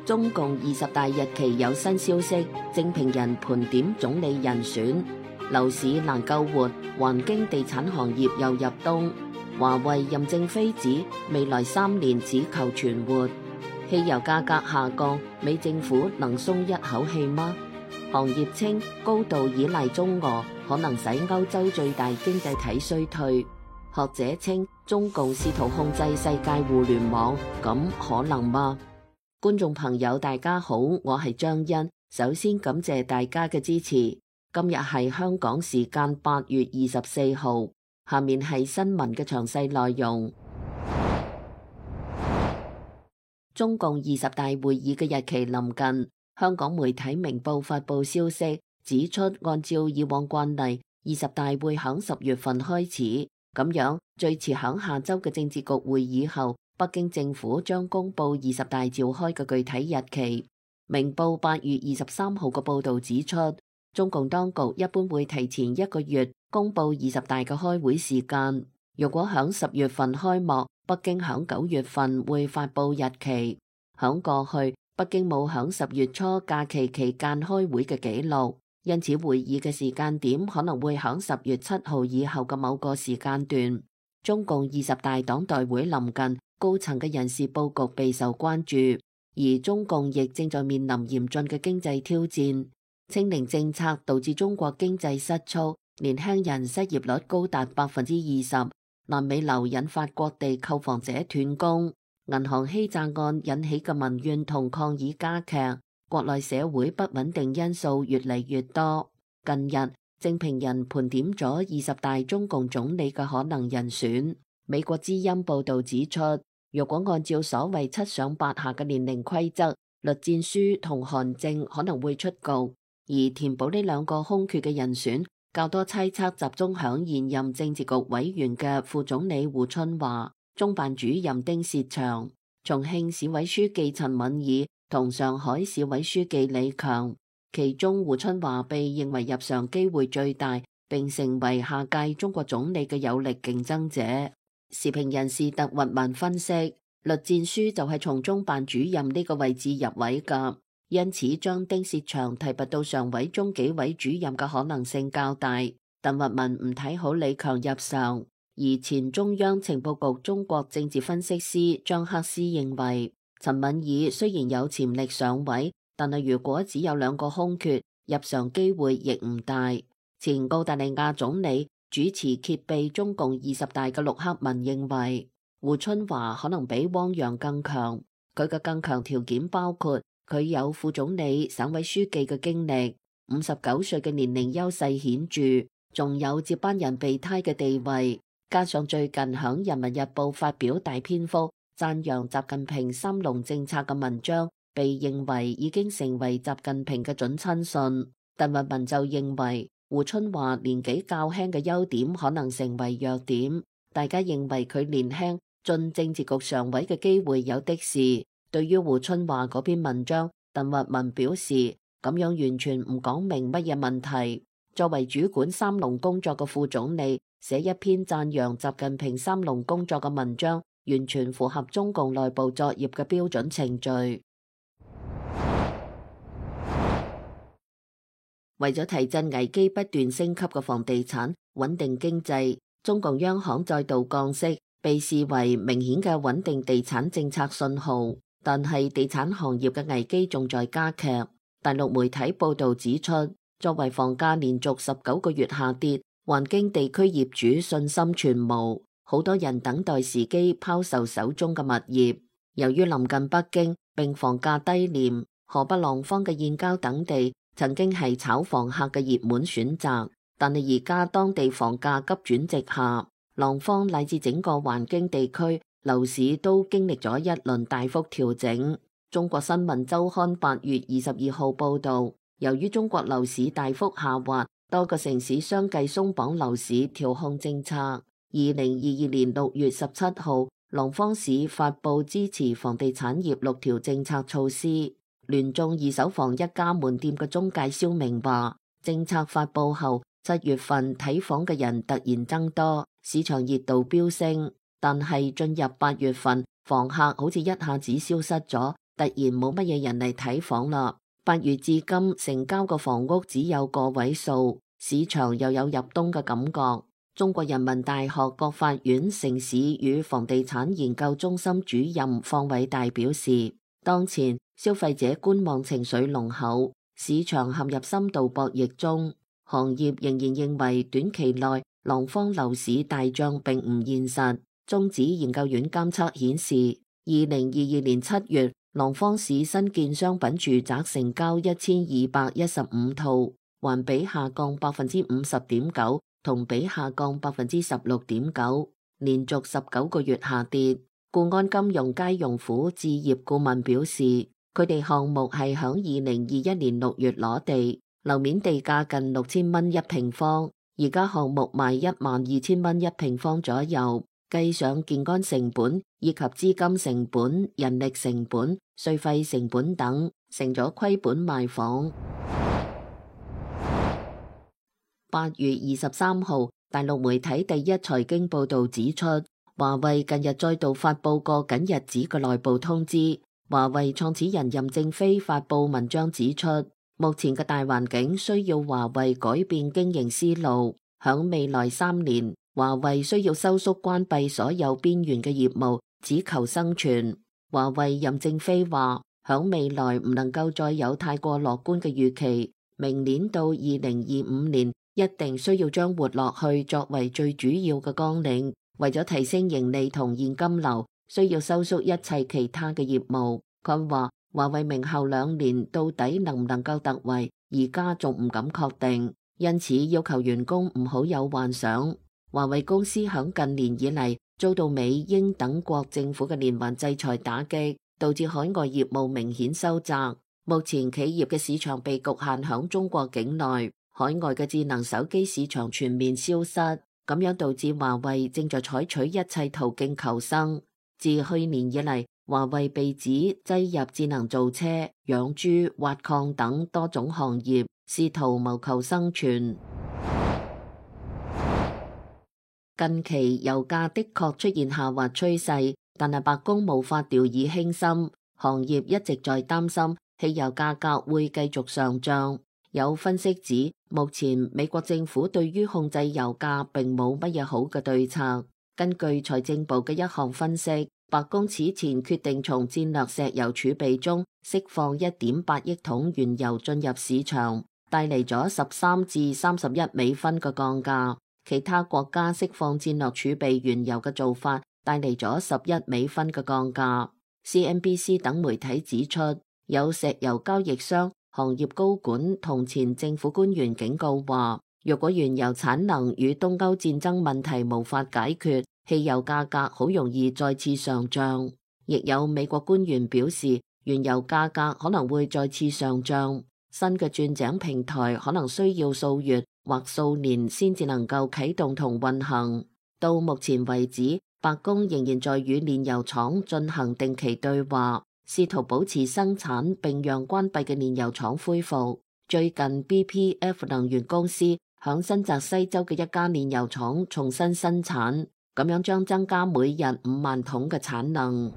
中共20大日期有新消息，正評人盤點總理人選。樓市難救活，環京地產行業又入冬。華為任正非指未來3年只求存活。汽油價格下降，美政府能鬆一口氣嗎？行業稱高度依賴中俄，可能使歐洲最大經濟體衰退。學者稱中共試圖控制世界互聯網，咁可能嗎？觀眾朋友大家好，我係張欣，首先感謝大家嘅支持。今日係香港時間8月24號，下面係新聞嘅詳細內容。中共20大會議嘅日期臨近，香港媒體明報發佈消息，指出按照以往慣例，20大會響10月份開始，咁樣最遲響下周嘅政治局會議後，北京政府將公布20大召開嘅具體日期。明報8月23號嘅報導指出，中共當局一般會提前1個月公布20大嘅開會時間。若果響10月份開幕，北京響9月份會發佈日期。響過去，北京冇響10月初假期期間開會嘅記錄，因此會議嘅時間點可能會響10月7號以後嘅某個時間段。中共20大黨代會臨近，高層嘅人事佈局備受關注，而中共亦正在面臨嚴峻嘅經濟挑戰。清零政策導致中國經濟失速，年輕人失業率高達20%。爛尾樓引發各地購房者斷供，銀行欺詐案引起嘅民怨同抗議加劇，國內社會不穩定因素越嚟越多。近日，正評人盤點咗20大中共總理嘅可能人選。美國之音報道指出，若果按照所謂7上8下嘅年齡規則，栗戰書同韓正可能會出局，而填補呢兩個空缺嘅人選，較多猜測集中響現任政治局委員嘅副總理胡春華、中辦主任丁薛祥、重慶市委書記陳敏爾同上海市委書記李強。其中胡春華被認為入常機會最大，並成為下屆中國總理嘅有力競爭者。時評人士特鬱文分析，栗戰書就係從中辦主任呢個位置入位㗎。因此，將丁薛祥提拔到常委中紀委主任嘅可能性較大。鄧鬱文唔睇好李強入常，而前中央情報局中國政治分析師張克思認為，陳敏爾雖然有潛力上位，但係如果只有2個空缺，入常機會亦唔大。前澳大利亞總理主持揭秘中共20大嘅陸克文認為，胡春華可能比汪洋更強，佢嘅更強條件包括佢有副總理、省委書記嘅經歷，59歲嘅年齡優勢顯著，仲有接班人備胎嘅地位，加上最近響人民日報發表大篇幅讚揚習近平3農政策嘅文章，被認為已經成為習近平嘅準親信。鄧鬱文就認為胡春華年紀較輕嘅優點可能成為弱點，大家認為佢年輕進政治局常委嘅機會有的是。對於胡春華嗰篇文章，鄧鬱文表示咁樣完全唔講明乜嘢問題。作為主管3農工作嘅副總理，寫一篇讚揚習近平3農工作嘅文章，完全符合中共內部作業嘅標準程序。為咗提振危機不斷升級嘅房地產，穩定經濟，中共央行再度降息，被視為明顯嘅穩定地產政策信號。但係地產行業嘅危機仲在加劇。大陸媒體報道指出，作為房價連續19個月下跌，環京地區業主信心全無，好多人等待時機拋售手中嘅物業。由於臨近北京並房價低廉，河北廊坊嘅燕郊等地曾經係炒房客嘅熱門選擇，但係而家當地房價急轉直下，廊坊乃至整個環京地區樓市都經歷咗一輪大幅調整。中國新聞週刊8月22號報道，由於中國樓市大幅下滑，多個城市相繼鬆綁樓市調控政策。2022年6月17號，廊坊市發布支持房地產業6條政策措施。聯眾二手房一家門店嘅中介蕭明話，政策發布後7月份睇房嘅人突然增多，市場熱度飆升。但係進入8月份，房客好似一下子消失咗，突然冇乜嘢人嚟睇房啦。8月至今成交嘅房屋只有個位數，市場又有入冬嘅感覺。中國人民大學國法院城市與房地產研究中心主任方偉大表示，當前消費者觀望情緒濃厚，市場陷入深度博弈中。行業仍然認為短期內廊坊樓市大漲並唔現實。中指研究院監測顯示，2022年7月，廊坊市新建商品住宅成交1215套，環比下降50.9%，同比下降16.9%，連續19個月下跌。固安金融佳容府置業顧問表示，佢哋項目係響2021年6月攞地，樓面地價近6000蚊一平方，而家項目賣12000蚊一平方左右，計上建安成本以及資金成本、人力成本、稅費成本等，成咗虧本賣房。8月23號，大陸媒體第一財經報道指出，華為近日再度發佈過緊日子嘅內部通知。華為創始人任正非發佈文章指出，目前嘅大環境需要華為改變經營思路，響未來3年，華為需要收縮關閉所有邊緣嘅業務，只求生存。華為任正非話，響未來唔能夠再有太過樂觀嘅預期，明年到2025年，一定需要將活落去作為最主要嘅綱領，為咗提升盈利同現金流，需要收縮一切其他嘅業務。佢話華為明後2年到底能唔能夠突圍，而家仲唔敢確定，因此要求員工唔好有幻想。華為公司響近年以嚟遭到美英等國政府嘅連環制裁打擊，導致海外業務明顯收窄。目前企業嘅市場被局限響中國境內。海外嘅智能手機市場全面消失，咁樣導致華為正在採取一切途徑求生。自去年以嚟，華為被指擠入智能造車、養豬、挖礦等多種行業，試圖謀求生存。近期油價的確出現下滑趨勢，但係白宮無法掉以輕心，行業一直在擔心汽油價格會繼續上漲。有分析指，目前美國政府對於控制油價並冇乜嘢好嘅對策。根據財政部嘅一項分析，白宮此前決定從戰略石油儲備中釋放1.8億桶原油進入市場，帶嚟咗13至31美分嘅降價。其他國家釋放戰略儲備原油嘅做法帶嚟咗11美分嘅降價。CNBC 等媒體指出，有石油交易商、行業高管同前政府官員警告話，若果原油產能與東歐戰爭問題無法解決，汽油價格好容易再次上漲。亦有美國官員表示，原油價格可能會再次上漲，新嘅鑽井平台可能需要數月或數年先至能夠啟動同運行。到目前為止，白宮仍然在與煉油廠進行定期對話，試圖保持生產並讓關閉嘅煉油廠恢復。最近 BPF 能源公司響新澤西州嘅一家煉油廠重新生產，咁樣將增加每日5萬桶嘅產能。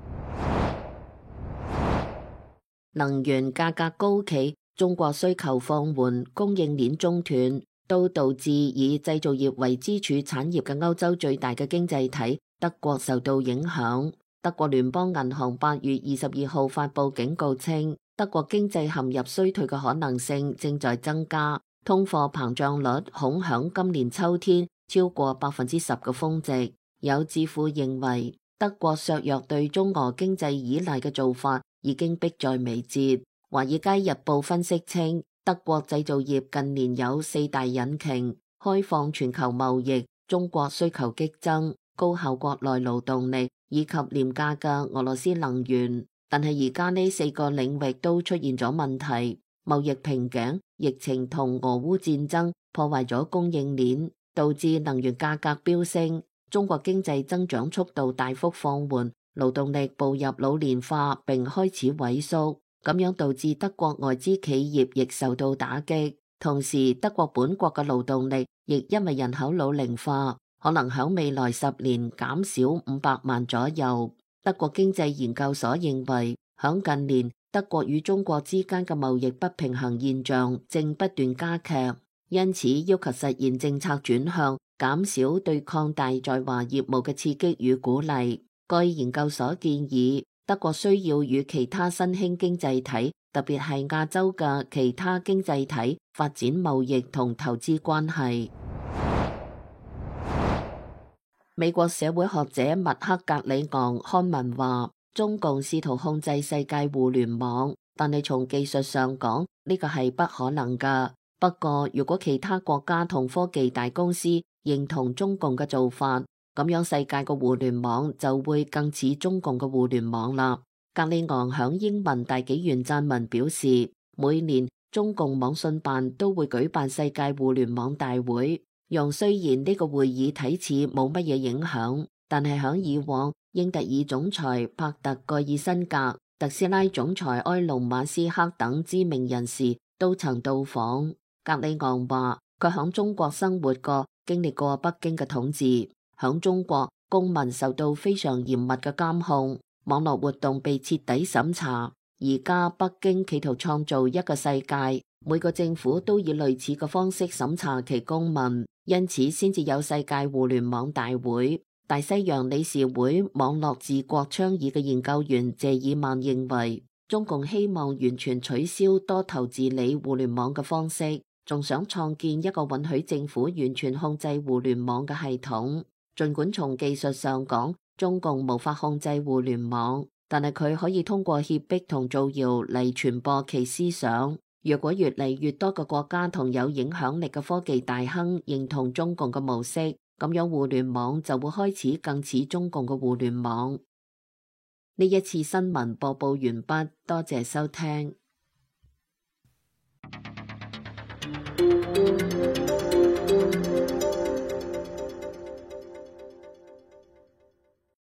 能源價格高企，中國需求放緩，供應鏈中斷，都導致以製造業為支柱產業嘅歐洲最大嘅經濟體德國受到影響。德國聯邦銀行8月22號發佈警告稱，德國經濟陷入衰退嘅可能性正在增加，通貨膨脹率恐響今年秋天超過10%嘅峰值。有智庫認為，德國削弱對中俄經濟依賴嘅做法已經迫在眉睫。華爾街日報分析稱，德國製造業近年有4大引擎：開放全球貿易、中國需求激增、高效國內勞動力以及廉價嘅俄羅斯能源。但係而家呢4個領域都出現咗問題，貿易瓶頸、疫情同俄烏戰爭破壞咗供應鏈，導致能源價格飆升。中國經濟增長速度大幅放緩，勞動力步入老年化並開始萎縮，咁樣導致德國外資企業亦受到打擊。同時，德國本國嘅勞動力亦因為人口老齡化，可能喺未來10年減少500萬左右。德國經濟研究所認為，響近年，德國與中國之間嘅貿易不平衡現象正不斷加劇，因此要求實現政策轉向，減少對擴大在華業務嘅刺激與鼓勵。該研究所建議，德國需要與其他新興經濟體，特別係亞洲嘅其他經濟體發展貿易同投資關係。美國社會學者麥克格里昂刊文話，中共試圖控制世界互聯網，但係從技術上講，呢個係不可能㗎。不過，如果其他國家同科技大公司認同中共嘅做法，咁樣世界嘅互聯網就會更似中共嘅互聯網啦。格里昂響英文大紀元撰文表示，每年中共網信辦都會舉辦世界互聯網大會，雖然呢個會議睇似冇乜嘢影響，但係響以往，英特爾總裁帕特蓋爾辛格、特斯拉總裁埃隆馬斯克等知名人士都曾到訪。格里昂話，佢響中國生活過，經歷過北京嘅統治。響中國，公民受到非常嚴密嘅監控，網絡活動被徹底審查。而家北京企圖創造一個世界，每個政府都以類似嘅方式審查其公民，因此先至有世界互聯網大會。大西洋理事會網絡治國倡議嘅研究員謝爾曼認為，中共希望完全取消多頭治理互聯網嘅方式，仲想創建一個允許政府完全控制互聯網嘅系統。儘管從技術上講，中共無法控制互聯網，但係佢可以通過脅迫同造謠嚟傳播其思想。若果越嚟越多嘅國家同有影響力嘅科技大亨認同中共嘅模式，咁樣互聯網就會開始更似中共嘅互聯網。呢一次新聞播報完畢，多謝收聽。